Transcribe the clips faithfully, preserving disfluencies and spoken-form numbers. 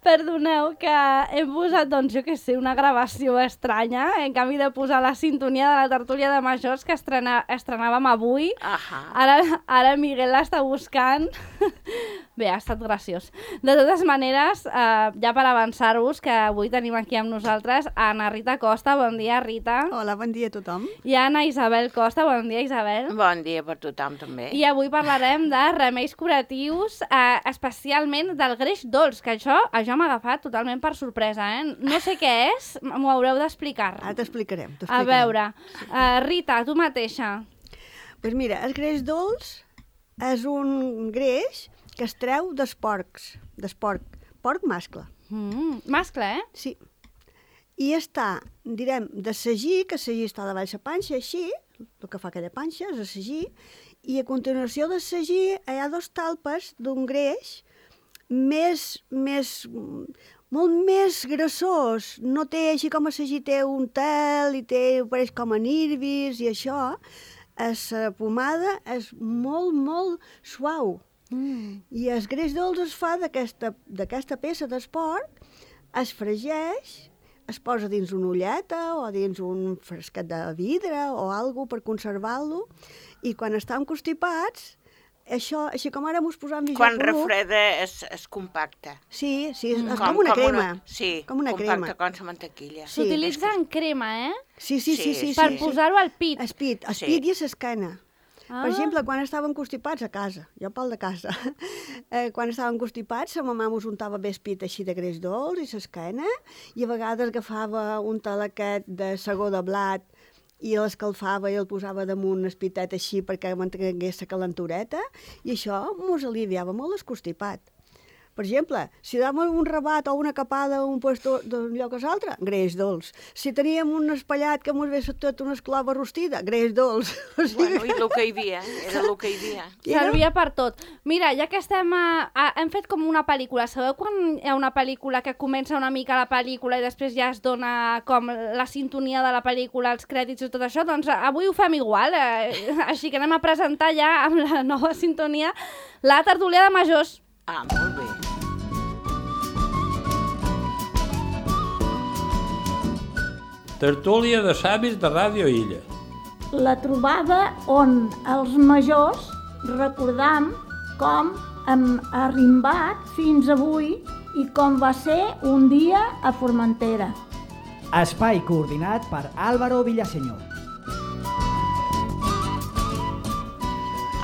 Perdoneu que hem posat, doncs, jo què sé, una gravació estranya, en canvi de posar la sintonia de la tertúlia de majors que estrena, estrenàvem avui. Ahà. Ara, ara Miguel l'està buscant. Bé, ha estat graciós. De totes maneres, eh, ja per avançar-vos, que avui tenim aquí amb nosaltres Anna Rita Costa. Bon dia, Rita. Hola, bon dia a tothom. I Anna Isabel Costa. Bon dia, Isabel. Bon dia per tothom, també. I avui parlarem de remeis curatius, eh, especialment del greix dolç, que això, això m'ha agafat totalment per sorpresa, eh? No sé què és, m'ho haureu d'explicar. Ara t'explicarem. A veure, uh, Rita, tu mateixa. Doncs pues mira, el greix dolç és un greix que es treu dels porcs, d'esporc, porc mascle. Mm, mascle, eh? Sí. I està, direm, de sagí, que sagí està davall la panxa, així, el que fa aquella panxa és de sagí, i a continuació de sagí hi ha dos talpes d'un greix més, més, molt més grassós. No té, així com a sagí té un tel i té, pareix com a nirbis i això, la pomada és molt, molt suau. Mm. I el greix dolç es fa d'aquesta peça d'esport, es fregeix, es posa dins una ulleta o dins un fresquet de vidre o alguna per conservar-lo, i quan estan constipats, això, així com ara mos posam Quan refreda és, és compacte. Sí, sí, és, Mm. és com una com crema. Una, sí, com una compacte crema. com la mantequilla. Sí. S'utilitza en crema, eh? Sí, sí, sí, sí, Sí, Per sí, sí. posar-ho al pit. Es pit, es Sí. pit i s'escana. Ah. Per exemple, quan estàvem constipats a casa, jo pel de casa, eh, quan estàvem constipats, la mamà mos untava bé el pit així de greix dolç i s'esquena, i a vegades agafava un talaquet de segó de blat i l'escalfava i el posava damunt el pitet així perquè mantingués la calentureta, i això mos aliviava molt el constipat. Per exemple, si dàvem un rabat o una capada a un puesto d'un lloc a l'altre, greix dolç. Si teníem un espellat que mos vés tot una esclava rostida, greix dolç. O sigui, Bueno, i el que hi havia, era el que hi havia. Servia per tot. Mira, ja que estem... A, a, hem fet com una pel·lícula. Sabeu quan hi ha una pel·lícula que comença una mica la pel·lícula i després ja es dona com la sintonia de la pel·lícula, els crèdits i tot això? Doncs avui ho fem igual. Eh? Així que anem a presentar ja amb la nova sintonia la tertúlia de majors. Ah, molt bé. Tertúlia de savis de Ràdio Illa. La trobada on els majors recordam com hem arrimbat fins avui i com va ser un dia a Formentera. Espai coordinat per Álvaro Villaseñor.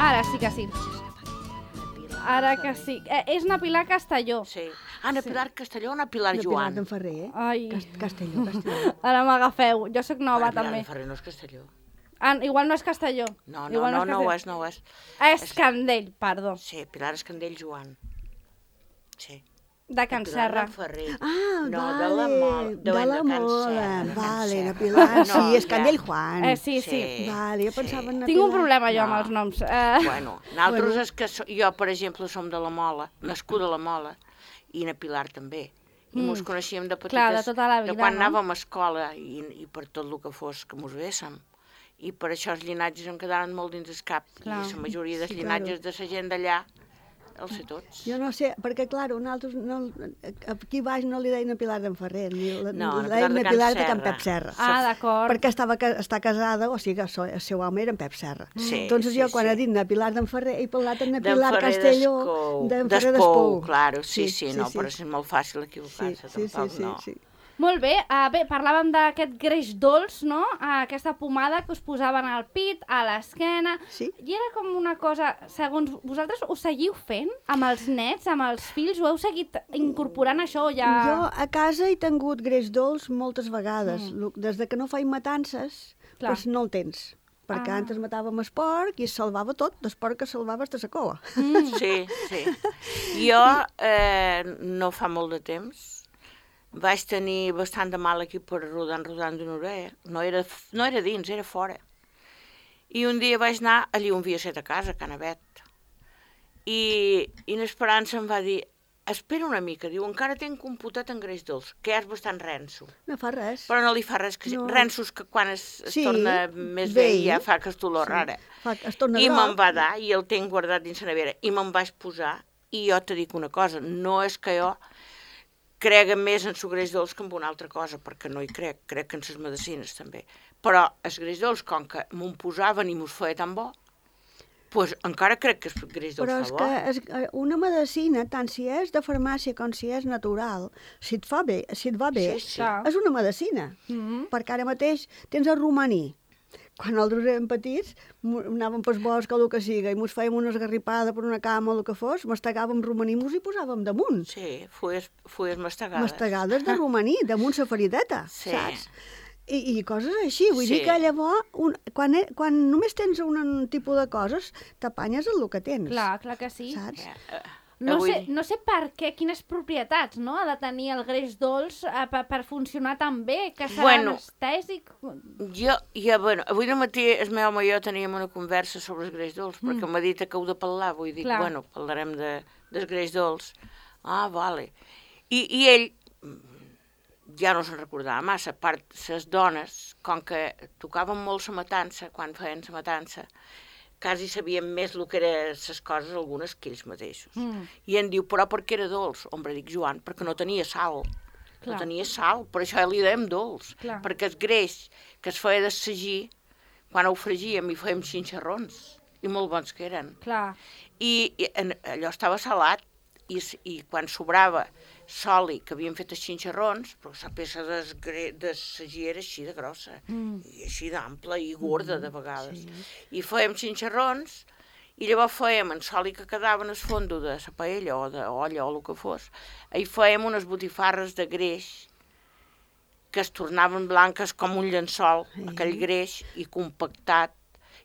Ara sí que sí. Ara que sí. Eh, és una Pilar Castelló. Sí. Ana Pilar Castelló, Ana Pilar de Joan. Pilar d'en Ferrer, eh? Ai. Cast Castelló, Castelló. Ara m'agafeu. Jo sóc nova, Ana Pilar també. de Ferrer no és Castelló. Ah, igual no és Castelló. No, no, Igual no, no, Castelló. ho és, no ho és. És Candell, perdó. Sí, Pilar Escandell Joan. Sí. De Can Serra. Pilar de Ferrer. Ah, No, vale, de la Mola. de la Can Mola, Serra, de Can vale, Serra. na Pilar, No, sí, és ja. Candell Juan. Eh, sí, sí. Sí. Vale, jo pensava en na Tinc un Pilar. problema jo amb No. els noms. Eh, Bueno, nosaltres Bueno. és que so, jo, per exemple, som de la Mola, nascuda a la Mola, i na Pilar també. I Mm. mos coneixíem de petites, Clar, de tota la vida, de quan no? anàvem a escola i, i per tot el que fos que mos véssim. I per això els llinatges em quedaren molt dins el cap. Clar. I la majoria dels Sí, llinatges de la gent d'allà els sé tots. Jo no sé, perquè, clar, nosaltres no, aquí baix no li deien a Pilar d'en Ferrer, ni la, No, li na deien Pilar a de Pilar Can de Can Serra. Pep Serra. ah, d'acord. Perquè estava, ca- està casada, o sigui que el seu- el seu home era en Pep Serra. Sí, Entonces sí, jo, quan sí. he dit na Pilar d'en Ferrer, he parlat en na D'en Pilar Ferrer Castelló, d'Espou. d'en Ferrer D'Espou, d'Espou. claro, sí, sí, no, però és molt fàcil Sí, equivocar-se, sí, sí, tampoc, sí, no. sí. Molt bé, uh, bé, parlàvem d'aquest greix dolç, no? Uh, aquesta pomada que us posaven al pit, a l'esquena... Sí. I era com una cosa, segons vosaltres, ho seguiu fent amb els nets, amb els fills? Ho heu seguit incorporant això o ja...? Jo a casa he tingut greix dolç moltes vegades. Mm. Des de que no faig matances, Clar. doncs no el tens. Perquè Ah. antes matàvem el porc i es salvava tot, el porc que salvava hasta la cova. Mm. Sí, sí. Jo, eh, no fa molt de temps, vaig tenir bastant de mal aquí per rodant, rodant d'una orella. No era, no era dins, era fora. I un dia vaig anar allí on havia set a casa, a Canavet. I, i l'Esperança em va dir, espera una mica, diu, encara tinc un potet en greix dolç, que és bastant renso. No fa res. Però no li fa res, que No. rensos que quan es, es Sí, torna més bé vell. ja fa aquesta olor Sí. rara. Fa, es torna I groc. me'n va dar, i el tinc guardat dins la nevera, i me'n vaig posar, i jo te dic una cosa, no és que jo crega més en el greix dolç que en una altra cosa, perquè no hi crec, crec que en les medicines també. Però el greix dolç, com que m'ho posaven i m'ho feia tan bo, pues encara crec que el greix dolç Però fa és bo. que és, una medicina, tant si és de farmàcia com si és natural, si et fa bé, si et va bé, Sí, sí. Clar. és una medicina. Mhm. Perquè ara mateix tens el romaní. Quan nosaltres érem petits, mo- anàvem pel bosc o el que siga, i mos fèiem una esgarripada per una cama o el que fos, mastegàvem romaní i mos hi posàvem damunt. Sí, fulles, fulles mastegades. Mastegades de romaní, damunt sa ferideta, Sí. saps? I, I coses així, vull Sí. dir que llavors, un, quan, e- quan només tens un, un tipus de coses, t'apanyes el que tens, Clar, clar que sí. saps? Ja, eh, No avui- sé, no sé per què, quines propietats no, ha de tenir el greix dolç eh, per, per funcionar tan bé, que serà Bueno. anestèsic. Jo, ja, bueno, avui al matí el meu home i jo teníem una conversa sobre el greix dolç, mm. perquè m'ha dit que heu de parlar, vull dir, Clar. bueno, parlarem de, del greix dolç. Ah, vale. I, I ell mm, ja no se'n recordava massa, a part, les dones, com que tocaven molt la matança, quan feien la matança, quasi sabien més el que eren les coses, algunes que ells mateixos. Mm. I em diu, però per què era dolç? Hombre, dic, Joan, perquè no tenia sal. Clar. No tenia sal, per això li dèiem dolç. Clar. Perquè el greix que es feia de sagí, quan ho fregíem i fèiem xinxarrons, i molt bons que eren. Clar, I, i en, allò estava salat, i, s- i quan sobrava soli que havíem fet els xinxarrons, però la peça de, de sagí era així de grossa, Mm. i així d'ampla i gorda de vegades. Sí. I fèiem xinxarrons, i llavors fèiem en soli que quedava en el fondo de la paella o d'olla o el que fos, i fèiem unes botifarres de greix que es tornaven blanques com un llençol, Sí. aquell greix, i compactat,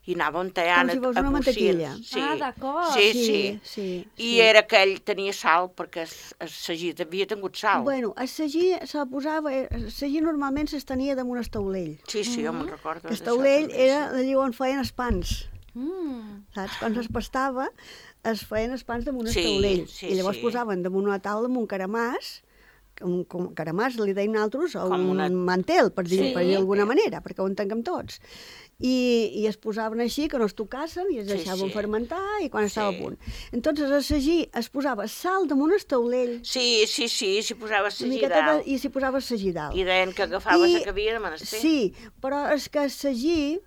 i anàvem tallant Com si fos a, a una mantequilla. bocins. Sí. Ah, d'acord. Sí, sí, sí. sí, I sí. era que ell tenia sal, perquè el, el sagí havia tingut sal. Bueno, el sagí se posava, el sagí normalment s'estenia damunt el taulell. Sí, sí, jo me'n recordo. El d'això taulell també, era sí. allà on feien els pans, Mm. saps? Quan es pastava, es feien els pans damunt el Sí, taulell. sí, I llavors sí. posaven damunt una taula amb un caramàs, un, com caramàs li deien altres, o Com un una- mantel, per dir, Sí. per dir d'alguna manera, perquè ho entenguem tots. I, I es posaven així, que no es tocassen, i es Sí, deixaven sí. fermentar, i quan estava Sí. a punt. Entonces, el sagí es posava sal damunt el taulell, Sí, sí, sí, s'hi posava una sagí miqueta de, dalt. i s'hi posava sagí dalt. I deien que agafava I- la que havia de menester. Sí, però és que el sagí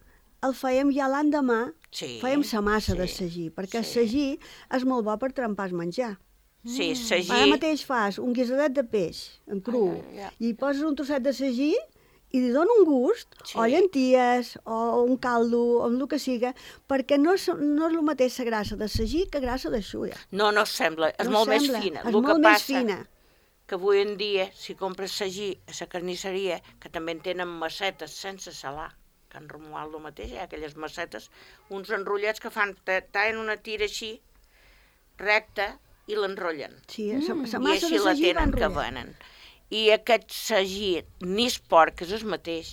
el fèiem ja l'endemà, Sí, fèiem sa massa sí, de sagí, perquè el sí. sagí és molt bo per trempar el menjar. Sí, sagí. Ara mateix fas un guisadet de peix, en cru, Ai, ai, ai. i hi poses un trosset de sagí i li dona un gust, Sí. o llenties, o un caldo, o el que siga, perquè no és, no és el mateix la grassa de sagí que grassa de xulla. No, no sembla, és No molt sembla, més fina. és El molt que més passa fina. que avui en dia, si compres sagí a la carnisseria, que també en tenen massetes sense salar, que en Romuald el mateix, hi ha aquelles massetes, uns enrotllats que fan, ta- tallen una tira així, recta, i l'enrotllen. Sí, la I massa així de la sagí va tenen que enrotllar. venen. I aquest sagí, ni és porc, és el mateix.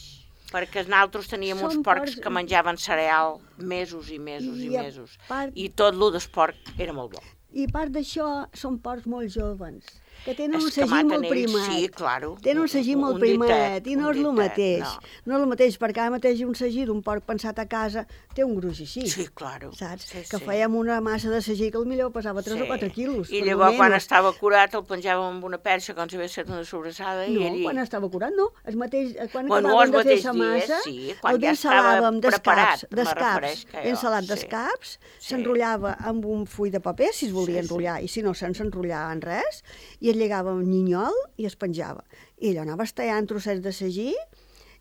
Perquè nosaltres teníem Són uns porcs porcs- que menjaven cereal mesos i mesos i, I a mesos. part- I tot lo d'esport era molt bo. I a part d'això, són porcs molt joves, que tenen un És que sagí maten molt ells, primat. sí, claro. Tenen un sagí Un- molt un primat, ditet, i no un és el ditet, mateix. no. No és el mateix, perquè ara mateix un sagí d'un porc pensat a casa té un gruix així. Sí, claro. Saps? Sí, que sí. fèiem una massa de sagí que potser pesava tres Sí. o quatre quilos. I per llavors, lo quan menos. estava curat, el penjàvem amb una perxa, com si hagués fet una sobrassada, No, i ell... quan estava curat, no. El mateix, eh, quan Bueno, acabàvem els de fer mateix sa dies, massa, sí, quan el ja ensalàvem estava d'escaps, preparat, me d'escaps, refereix que jo, ensalat sí. d'escaps, Sí. s'enrotllava amb un full de paper, si es volia Sí, sí. enrotllar, i si no, sense enrotllar en res, i es lligava amb nyinyol i es penjava. I allò anaves tallant trossets de sagí,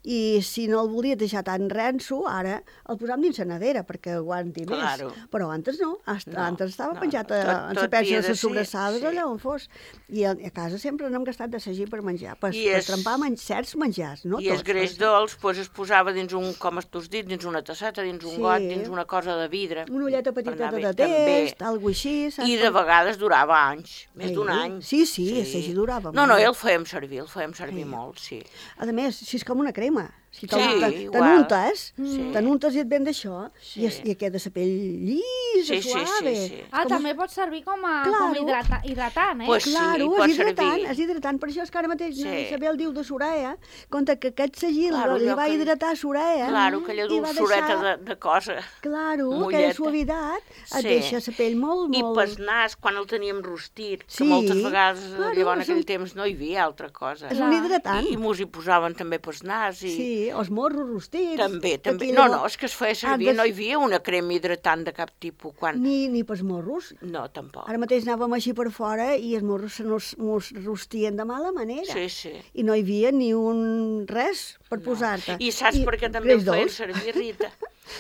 i si no el volies deixar tan renso, ara el posàvem dins la nevera perquè aguanti més. Claro. Però antes no, Hasta, No, antes estava no, penjat no. a, Tot- en la tot perxa havia de de les ser, sobrassades, sí. allà on fos. I a, a casa sempre n'hem gastat de sagí per menjar, per, I per és- trempar men certs menjars, no I el tots. greix perquè- dolç pues, es posava dins un, com tu has dit, dins una tasseta, dins un Sí. got, dins una cosa de vidre. Una ulleta per petiteta anar de bé, també. test, alguna així, saps? I de vegades durava anys, més Sí. d'un any. Sí, sí, el sagí durava No, no, molt. el fèiem servir, el fèiem servir Sí. molt, sí. A més, si és com una crema. Si Sí, igual. t'anuntes, Sí. t'anuntes i et ven d'això, Sí. i, es, i queda la pell llisa, Sí, sí, suave. sí, sí. Ah, també pot servir com a Claro. com hidrata, hidratant, eh? Pues sí, Claro, pot és hidratant, servir. és hidratant. Per això és que ara mateix Sí. sí. Isabel diu de Soraya, compte que aquest segil Claro, li allò va que- hidratar Soraya. Claro, aquella i va dolçoreta deixar- de, de cosa. Claro, molleta. aquella suavitat et Sí. deixa la pell molt, I molt... pel nas, quan el teníem rostit, que Sí, moltes vegades, claro, llavors en aquell és un- temps no hi havia altra cosa. És un hidratant. I, i mos hi posaven també pel nas. I... Sí, els morros rostits. També, també. Aquí No, llavors- no, és que es feia Ah, servir, des- no hi havia una crema hidratant de cap tipus. Quan... Ni, ni pels morros. No, tampoc. Ara mateix anàvem així per fora i els morros se nos, mos rostien de mala manera. Sí, sí. I no hi havia ni un res per No. posar-te. I saps per què també greix em feien dolç. servir, Rita?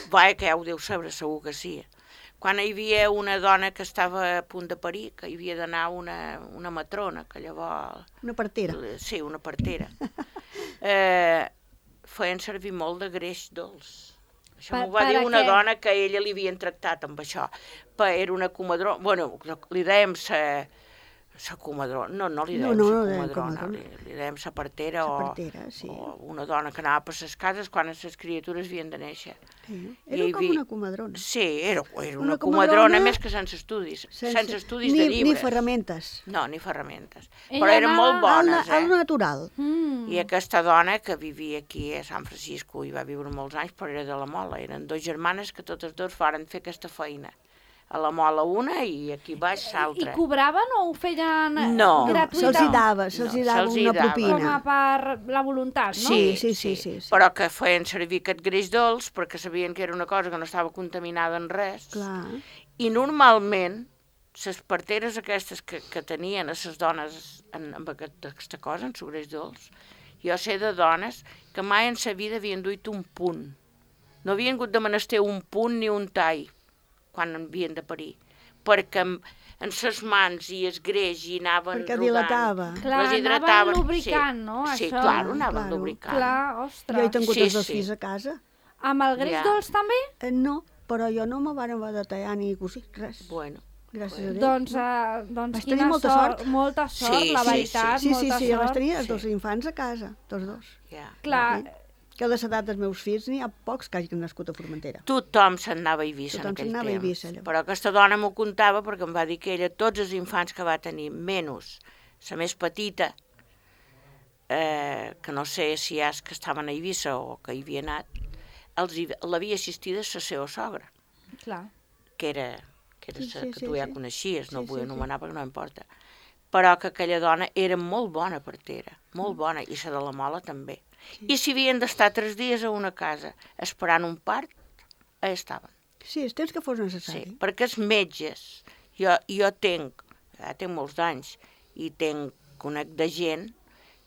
Vaja, que ja ho deu saber, segur que sí. Quan hi havia una dona que estava a punt de parir, que hi havia d'anar una, una matrona, que llavors... Una partera. Sí, una partera. eh, feien servir molt de greix dolç. Això Per- m'ho va per dir a una què? dona que a ella li havien tractat amb això. Pa, era una comadrona... Bueno, li dèiem sa, sa comadrona. No, no li No, dèiem no, sa no dèiem comadrona. comadrona. Li, li dèiem sa partera, Sa o, partera, sí. o una dona que anava per les cases quan les criatures havien de néixer. Sí. I Era hi com havia- una comadrona. Sí, era, era una, Una comadrona, comadrona més que sense estudis. Sense, sense estudis ni, de llibres. Ni ferramentes. No, ni ferramentes. Ella Però eren anava molt Al, bones, al eh? natural. Mm. I aquesta dona que vivia aquí a San Francisco i va viure molts anys, però era de la Mola. Eren dos germanes que totes dues varen fer aquesta feina. A la Mola una i aquí baix I l'altra. cobraven o ho feien eh, No. gratuïtament? Se'ls hi dava, se'ls hi No, dava se'ls hi una dava. Com a propina. per la voluntat, no? Sí, sí, sí, sí, sí. Però que feien servir aquest greix dolç perquè sabien que era una cosa que no estava contaminada en res. Clar. I normalment, les parteres aquestes que, que tenien a les dones en, amb aquest, aquesta cosa, en el greix dolç, jo sé de dones que mai en sa vida havien duit un punt. No havien hagut de menester un punt ni un tall quan havien de parir, perquè en, en ses mans i es greix i anaven Perquè rodant. dilatava. Clar, les anaven hidrataven. lubricant, sí. no, Sí, això? clar, anaven Claro. lubricant. Clar, Jo he ostres. tingut Sí, els dos sí. fills a casa. Amb el greix Ja. dolç també? Eh, no, però jo no me van haver de tallar ni cosir, res. Bueno, Gràcies a Déu. Doncs, uh, doncs Vaig quina tenir molta sort, sort. molta sort, Sí, la sí, veritat, Sí, sí, molta sí, jo vaig sort. tenir els Sí. dos infants a casa, tots dos. ja. Clar, Que de l'edat dels meus fills n'hi ha pocs que hagin nascut a Formentera. Tothom se'n anava a Eivissa en Tothom aquell se'n anava a temps. Eivissa, llavors. Però aquesta dona m'ho contava perquè em va dir que ella, tots els infants que va tenir, menys la més petita, eh, que no sé si és que estaven a Eivissa o que hi havia anat, els hi- l'havia assistida la seva sogra, clar. que era, que, era Sí, sa, sí, que sí, tu ja sí. coneixies, no Sí, ho vull sí, sí. anomenar perquè no importa. Però que aquella dona era molt bona partera, molt Mm. bona, i la de la Mola també. I si havien d'estar tres dies a una casa esperant un part, allà estaven. Sí, el temps que fos Sí, necessari. perquè els metges, jo, jo tenc, ja tenc molts d'anys, i tenc, conec de gent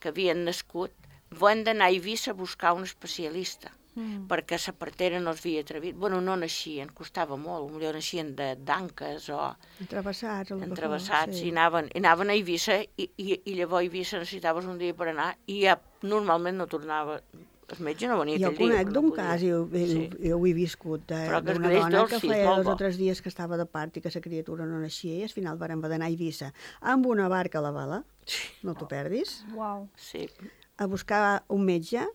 que havien nascut, van d'anar a Eivissa a buscar un especialista, Mm. perquè la partera no es havia atrevit. Bueno, no naixien, costava molt, potser naixien de d'anques o Entrevessats, o el que fos, entrevessats, sí. i anaven, i anaven a Eivissa, i, i, i llavors a Eivissa necessitaves un dia per anar, i ja normalment no tornava, el metge no venia Jo aquell dia. conec però d'un no podia. cas, jo, jo, Sí. jo ho he viscut, de- Però que es d'una greix dona dolç, que sí, és feia molt dos bo. o tres dies que estava de part i que la criatura no naixia i al final varen d'anar a Eivissa amb una barca a la vela, no t'ho perdis, Uau. Sí, a buscar un metge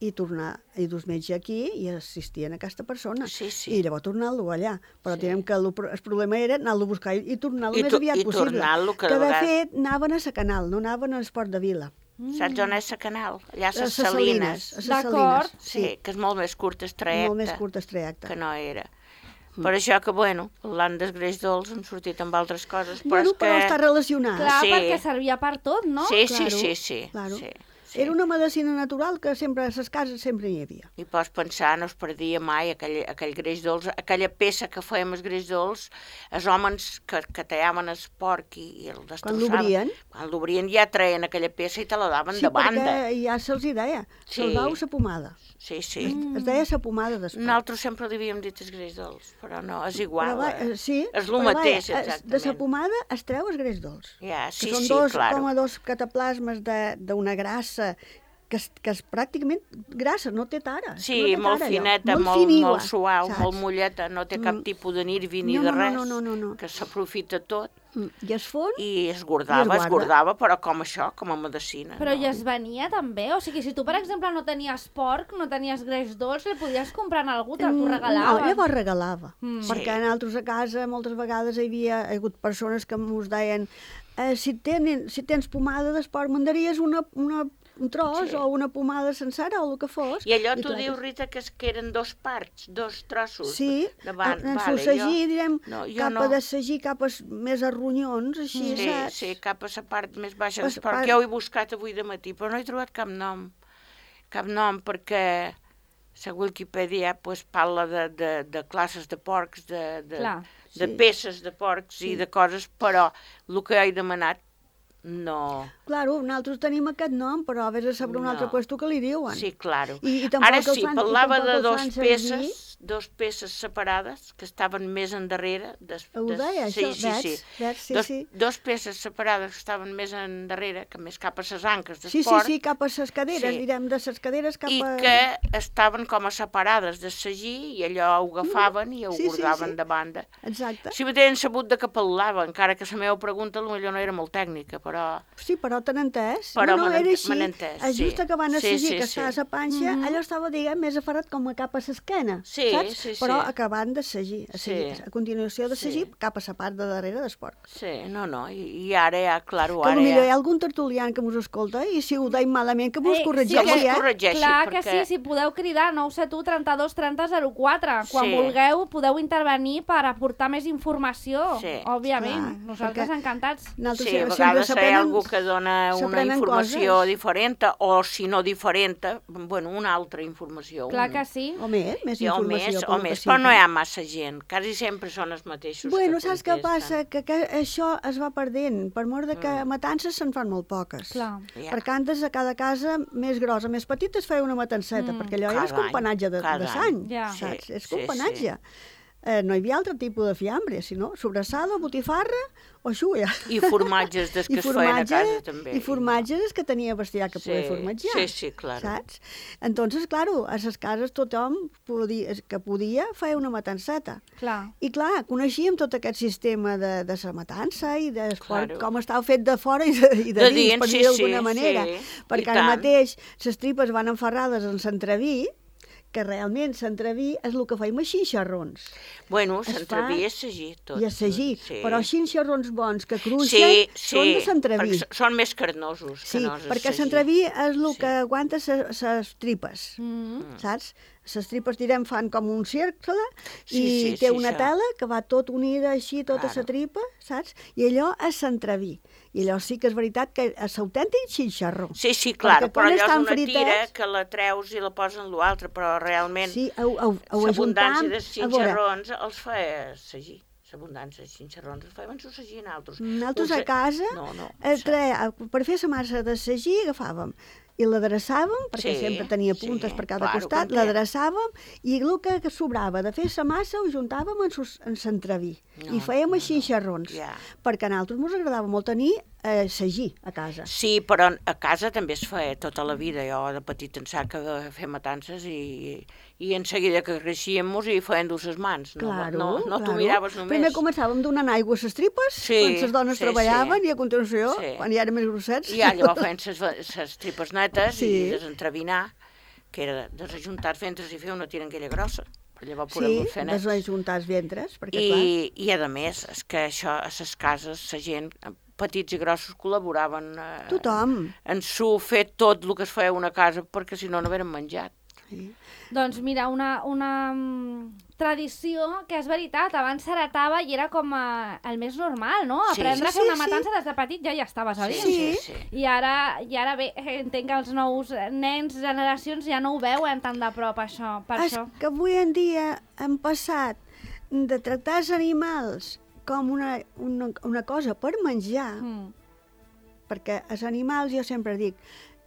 i tornar, i dus metge aquí i assistien a aquesta persona. Sí, sí. I llavors tornar-lo allà. Però Sí. sí. que el, el problema era anar-lo a buscar i, i tornar-lo I més to- aviat i possible. tornar-lo, que que de de vegades- fet anaven a sa canal, no anaven a l'esport de Vila. saps on és la canal? Allà a A les ses Salines. a ses D'acord. Salines. Sí, que és molt més curt el trajecte Molt més curt el trajecte. que no era. Per això que, bueno, l'han d'esgreix dolç hem sortit amb altres coses, però Bueno, és que... però està relacionat. Clar, Sí. perquè servia per tot, no? Sí, sí, Claro, sí, sí, claro. sí, sí. Era una medicina natural que sempre a les cases sempre hi havia. I pots pensar, no es perdia mai aquell, aquell greix dolç, aquella peça que fèiem el greix dolç, els homes que, que tallaven el porc i, i el destrossaven. l'obrien. Quan l'obrien ja traien aquella peça i te la daven Sí, de banda. perquè ja se'ls hi deia. Sí. Se'ls dau sa pomada. Sí, sí. Mm. Es deia sa pomada després. Nosaltres sempre li havíem dit el greix dolç, però no, és igual. Però va, eh? eh, sí, És el però mateix, vaja, es- exactament. De sa pomada es treu el greix dolç. Ja, sí, que són sí, dos, claro. com a dos cataplasmes de- d'una grassa que és, que és pràcticament grassa, no té tara. Sí, no té molt tara, allò. fineta, molt, molt, finigua, suau, saps? molt molleta, no té cap Mm. tipus de nervi ni No, de no, res, no, no, no, no. que s'aprofita tot. I es fon? I es guardava, es guardava, però com això, com a medicina. Però no? i es venia també? O sigui, si tu, per exemple, no tenies porc, no tenies greix dolç, el podies comprar en algú, te'l tu regalaven? No, llavors regalava. Mm. Perquè Sí. nosaltres a casa moltes vegades hi havia hagut persones que ens deien eh, si, tenen, si tens pomada d'esport, m'endaries una, una, un tros Sí. o una pomada sencera o el que fos. I allò tu clar dius, que- Rita, que, es, que eren dos parts, dos trossos. Sí, davant. en Vale, el sagí, jo- direm, no, jo cap no. a de sagí, cap a s- més a ronyons, així, Sí, saps? sí, cap a la part més baixa Pas- d'esport, pas- que ho he buscat avui de matí, però no he trobat cap nom. Cap nom, perquè la Wikipedia pues, parla de, de, de classes de porcs, de, de, Clar, de sí. peces de porcs i de coses, però el que he demanat no... Claro, nosaltres tenim aquest nom, però vés a saber un No. altre puesto que li diuen. Sí, claro. I- i tampoc Ara els sí, fan- i parlava tampoc de els dos fan servir. peces, dos peces separades que estaven més endarrere. Des, Ho des- deia, sí, això, sí, veig, sí. veig, sí, dos, sí. dos peces separades que estaven més endarrere, que més cap a les anques del Sí, sí, porc, sí, cap a les caderes, Sí. direm, de les caderes cap i a... que estaven com a separades de sagí i allò ho agafaven i ho Sí, sí, guardaven sí. de banda. Exacte. Si m'havien sabut de què pel·lava, encara que la meva pregunta potser no era molt tècnica, però... Sí, però t'han entès. Però no, no, m'han era ent- així. m'han entès, És just sí. acabant de Sí, sagir, sí, que sí. està a la panxa, allò estava, diguem, més aferrat com a cap a l'esquena, Sí, saps? sí, sí. Però acabant de sagir, a, sagir, Sí. a continuació de sagir, Sí. cap a la part de darrere del porc. Sí, no, no, i, i ara ja, claro, Que ara potser hi ja... ha algun tertulià que mos escolta i si ho deim malament que mos Ei, corregeixi, sí, que- eh? corregeixi, Clar que perquè- sí, si podeu cridar nou set u trenta-dos trenta zero quatre. Quan Sí. vulgueu podeu intervenir per aportar més informació, Sí, òbviament. clar, Nosaltres perquè- encantats. Nosaltres Sí, a sempre vegades hi ha s'aprenen- algú que dona una s'aprenen informació coses. diferent, o si no diferent, bueno, una altra informació. Clar un- que sí. O més, més Sí, o informació. més, com o el que més, però no sigui. hi ha massa gent, quasi sempre són els mateixos Bueno, que saps què contesten. passa? Que, que això es va perdent, per mort de que Mm. matances se'n fan molt poques. Clar. Ja. Perquè antes a cada casa més grossa, més petita, es feia una matanceta, Mm. perquè allò Cada era companatge de, any, cada de sang, Ja. saps? Sí, és sí, companatge. Eh, no hi havia altre tipus de fiambre, sinó sobrassada, botifarra o xulla. I formatges des que I es feien a casa formatge- també. I formatges que tenia bestiar que Sí, poder formatjar. sí, sí, claro. Saps? Entonces, claro, a les cases tothom podia, que podia feia una matanceta. Clar. I clar, coneixíem tot aquest sistema de, de la matança i de Claro. com estava fet de fora i de, i de, De dins, dins, per sí, dir d'alguna sí, manera. sí. Perquè I ara tant. mateix les tripes van enferrades en l'entreví, que realment l'entreví és el que feim a xinxarrons. Bueno, Es s'entrevia fa- a sagir tot. I a sagir, Sí. però xinxarrons bons que cruixen Sí, són sí, de l'entreví. perquè són més carnosos Sí, que no els de perquè sagí. l'entreví és el Sí. que aguanta les tripes. Mm. Saps? Les tripes, direm, fan com un cercle i Sí, sí, té sí, una això. tela que va tot unida així, tota la Claro. tripa, saps? I allò és l'entreví. I allò sí que és veritat que és l'autèntic xinxarró. Sí, sí, clar, Perquè però quan allò és estan una tira fritats- que la treus i la posen en l'altre, però realment Sí, ho, ho, ho l'abundància ajuntam. de A veure, xinxarrons els feia sagir. L'abundància de xinxarrons els feien su sagir nosaltres. nosaltres Us- a casa, No, no. eh, tre, per fer la massa de sagí, agafàvem i l'adreçàvem, perquè Sí, sempre tenia sí, puntes per cada claro, costat, com que- l'adreçàvem i el que sobrava de fer la massa ho juntàvem en, sus, en l'entreví No, i fèiem no, així xinxarrons, ja. perquè a nosaltres ens agradava molt tenir eh, sagí a casa. Sí, però a casa també es feia tota la vida. Jo de petit en sac de fer matances i, i en seguida que creixíem mos hi feien dur les mans. No, Claro, no, no t'ho claro. miraves només. Primer començàvem donant aigua a les tripes, Sí, quan les dones sí, treballaven, sí. i a continuació, Sí. quan ja eren més grossets... I ja llavors feien les tripes netes Sí. i desentrevinar, que era desajuntar ventres i fer una tiranguella grossa. Per llavors Sí, podem fer nets. desajuntar els ventres, perquè clar... I, I a més, és que això a les cases, la gent, petits i grossos, col·laboraven eh, Tothom. en su fer tot el que es feia a una casa, perquè si no, no hagueren menjat. Sí. Doncs mira, una, una mm, tradició que és veritat, abans s'heretava i era com a, el més normal, no? Sí. Aprendre a Sí, fer sí, una sí. matança des de petit ja hi estaves a dins. Sí. sí. I ara, I ara bé, entenc que els nous nens, generacions, ja no ho veuen tan de prop, això, per És això. que avui en dia hem passat de tractar els animals com una, una, una cosa per menjar, Mm, perquè els animals, jo sempre dic,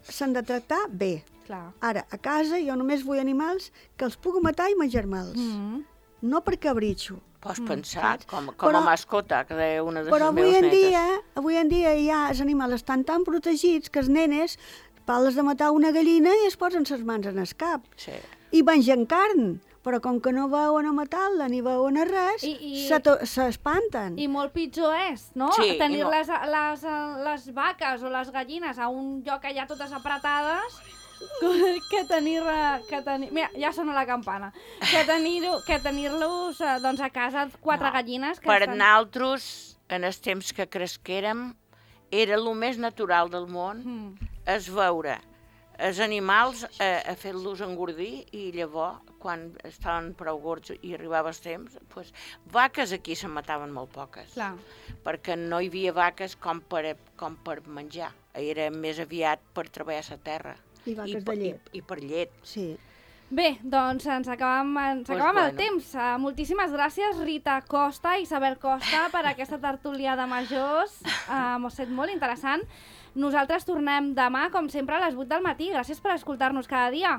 s'han de tractar bé. clar. Ara, a casa jo només vull animals que els puc matar i menjar-me'ls, Mm. no per cabritxo. Pots Mm, pensar, saps? com, com Però- a mascota, que deia una de les Però avui meves en netes. dia, avui en dia ja els animals estan tan protegits que els nenes parles de matar una gallina i es posen les mans en el cap. Sí. I mengen carn. però com que no veuen a matar-la ni veuen a res, I- i- s'espanten. I molt pitjor és, no? Sí, Tenir i mo- les, les, les vaques o les gallines a un lloc allà totes apretades que tenir... Que tenir mira, ja sona la campana. Que tenir-los que tenir eh, doncs, a casa quatre No, gallines que Per estan... nosaltres, en els temps que cresquérem, era el més natural del món Mm. és veure els animals a, a fer-los engordir i llavors, quan estaven prou gords i arribava el temps, pues, vaques aquí se mataven molt poques, Clar. perquè no hi havia vaques com per, com per menjar, era més aviat per treballar la terra. I vaques per- de llet. I, i per llet. Sí. Bé, doncs ens acabem, ens Pues acabem el bueno. temps. Uh, moltíssimes gràcies, Rita Costa i Isabel Costa, per aquesta tertúlia de majors. Uh, M'ha estat molt interessant. Nosaltres tornem demà, com sempre, a les vuit del matí. Gràcies per escoltar-nos cada dia.